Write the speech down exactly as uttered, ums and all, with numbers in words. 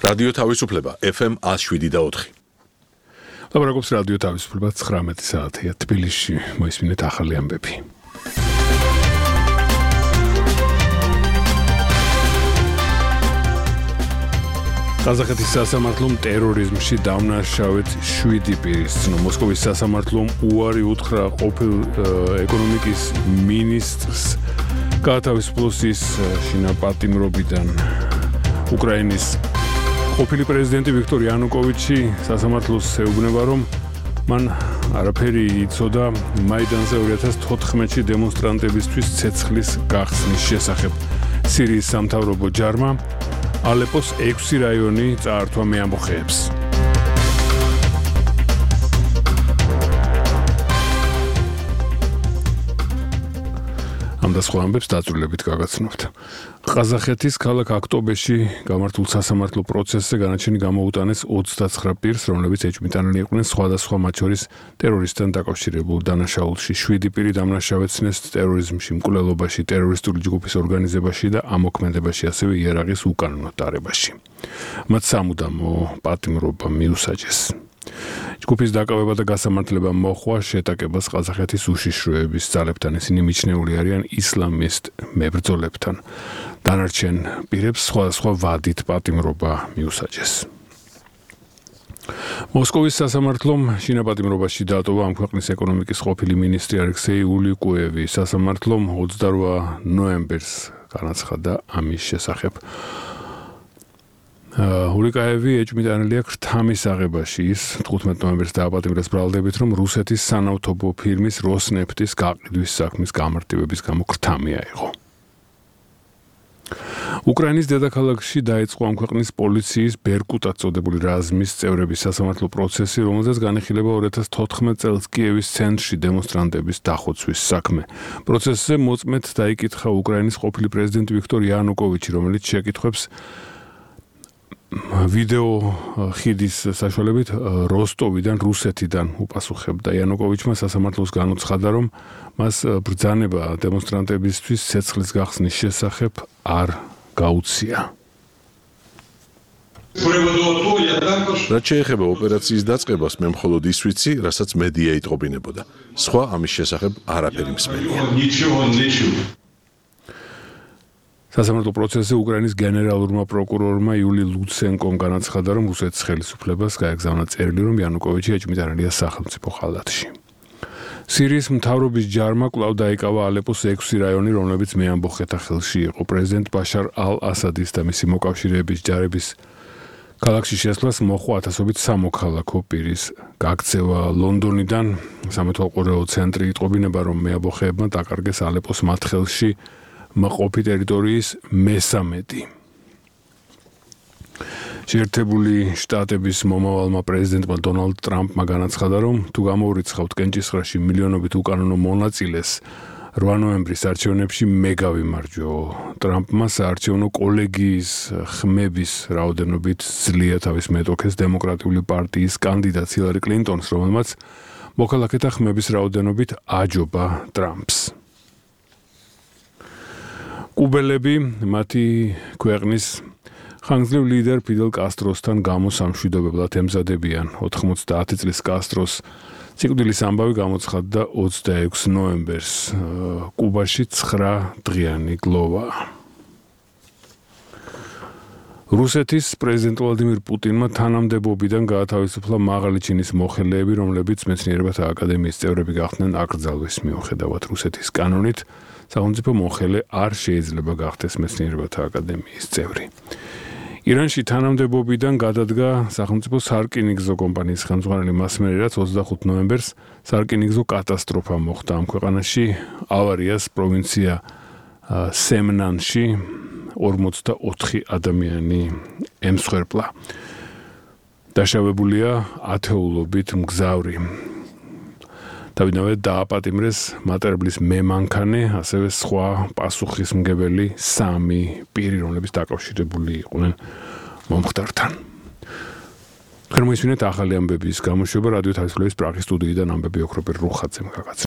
რადიო თავისუფლება F M one oh seven და four. ლაბორატორიის რადიო თავისუფლება ცხრამეტი საათია თბილისში მოისმინეთ ახალი ამბები. ყაზახეთის სასამართლომ ტერორიზმში დამნაშავედ შვიდი პირის ცნო. მოსკოვის სასამართლომ უარი უთხრა ყოფილ ეკონომიკის მინისტრს გაათავისუფლოს ის შინაპატიმრობიდან. უკრაინის ყოფილი პრეზიდენტი ვიქტორ იანუკოვიჩი სასამართლოს ეუბნება, რომ მან არაფერი იცოდა მაიდანზე two thousand fourteen-ში დემონსტრანტებისთვის ცეცხლის გახსნის შესახებ. სირიის სამთავრობო ჯარმა ალეპოს ექვსი რაიონი წაართვა მეამბოხეებს. ამ და სხვა ამბებს დაწვრილებით გაგაცნობთ. ყაზახეთის ქალაქ აქტობეში გამართულ სასამართლო პროცესზე განაჩენი გამოუტანეს ოცდაცხრა პირს, რომლებიც ეჭვმიტანილი იყვნენ სხვადასხვა მათ შორის ტერორისტთან დაკავშირებულ დანაშაულში. შვიდი პირი დამნაშავეცნეს ტერორიზმში, მკვლელობაში, ტერორისტული ჯგუფის ორგანიზებაში და ამოქმედებაში, ასევე იარაღის უკანონო დარებაში. მათ სამუდამო პატიმრობა მიუსაჯეს. ჯგუფის დაკავება და გასამართლება მოხვა შეტაკებას ყაზახეთის უშიშროების ძალებთან. ისინი მიჩნეული არიან ისლამისტ მებრძოლებთან. დანარჩენ პირებს სხვადასხვა ვადით პატიმრობა მიუსაჯეს. მოსკოვის სასამართლომ შინაპატიმრობაში დაატოვა ამ ქვეყნის ეკონომიკის ყოფილი მინისტრი ალექსეი ულიკუევი. სასამართლომ ოცდაორ ნოემბერს განაცხადა ამის შესახებ. ულიკაევი ეჭვმიტანილია ქრთამის აღებაში. ის თხუთმეტ ნოემბერს დააპატიმრეს ბრალდებით, რომ რუსეთის სანავთობო ფირმის როსნეფტის გაყიდვის საქმის გამარტივების გამო ქრთამი აიღო. უკრაინის დედაქალაქში დაიწყო ამ ქვეყნის პოლიციის ბერკუტად წოდებული რაზმის წევრების სასამართლო პროცესი, რომელზეც განიხილება two thousand fourteen წელს კიევის ცენტრში დემონსტრანტების დახოცვის საქმე. პროცესზე მოწმედ დაიკითხა უკრაინის ყოფილი პრეზიდენტი ვიქტორ იანუკოვიჩი, რომელიც შეკითხვებს ვიდეო ხიდის საშუალებით როსტოვიდან რუსეთიდან უპასუხებდა. იანუკოვიჩმა სასამართლოს განუცხადა, რომ მას ბრძანება დემონსტრანტებისთვის ცეცხლის გახსნის შესახებ არ გაუწია. რაც შეეხება ოპერაციის დაწყებას, მე მხოლოდ ის ვიცი, რასაც მედია იტყობინებოდა. სხვა ამის შესახებ არაფერი მსმენია. სასამართლო პროცესზე უკრაინის გენერალურმა პროკურორმა იული ლუცენკომ განაცხადა, რომ რუსეთის ხელისუფლებას გაეგზავნა წერილი, რომ იანუკოვიჩი ეჭვმიტანილია სახელმწიფო ხალათში. სირიის მთავრობის ჯარმა კვლავ დაიკავა ალეპოს ექვსი რაიონი, რომლებიც მეამბოხეთა ხელში იყო. პრეზიდენტ ბაშარ ალ-ასადის და მისი მოკავშირეების ჯარების ქალაქში შესვლას მოჰყვა ათასობით სამოქალაქო პირის გაქცევა. ლონდონიდან სამეთვალყურეო ცენტრი იტყობინება, რომ მეამბოხეებმა დაკარგეს ალეპოს მათ ხელში მყოფი ტერიტორიის მესამედი. შეერთებული შტატების მომავალმა პრეზიდენტმა დონალდ ტრამპმა განაცხადა, რომ თუ გამოურიცხავთ კენჭისყრაში მილიონობით უკანონო მონაწილეს რვა ნოემბრის არჩევნებში მე გავიმარჯვო. ტრამპმა საარჩევნო კოლეგიის ხმების რაოდენობით ძლია თავის მეტოქეს დემოკრატიული პარტიის კანდიდატს ჰილარი კლინტონს, რომელმაც მოქალაქეთა ხმების რაოდენობით აჯობა ტრამპს. კუბელები მათი ქვეყნის ხანგრძლივ ლიდერ ფიდელ კასტროსთან გამოსამშვიდობებლად ემზადებიან. ოთხმოცდაათი წლის კასტროს სიკვდილის ამბავი გამოცხადდა ოცდაექვსი ნოემბერს. კუბაში ცხრა დღიანი გლოვა. რუსეთის პრეზიდენტ ვლადიმირ პუტინმა თანამდებობიდან გაათავისუფლა მაღალი ჩინის მოხელეები, რომლებიც მეცნიერებათა აკადემიის წევრები გახდნენ აკრძალვის მიუხედავად. რუსეთის კანონით სახელმწიფო მოხელე არ შეიძლება გახდეს მეცნიერებათა აკადემიის წევრი. ირანში თანამდებობიდან გადადგა სახელმწიფო სარკინიგზო კომპანიის ხელმძღვანელი მასმერი, რაც ოცდახუთი ნოემბერს სარკინიგზო კატასტროფა მოხდა ამ ქვეყანაში. ავარიას პროვინცია სემნანში ორმოცდაოთხი ადამიანი ემსხვერპლა. დაშავებულია ათეულობით მგზავრი. დავინავე დააპატიმრეს მატერბლის მემანქანე, ასევე სხვა პასუხისმგებელი სამი პირი, რომლებიც დაკავშირებული იყვნენ მომხდართან. თქვენ მოისმინეთ ახალი ამბების გამოშვება რადიო თავისუფლების პრაღის სტუდიიდან ამბები ოქროპირ რუხაძემ გაგაცნო.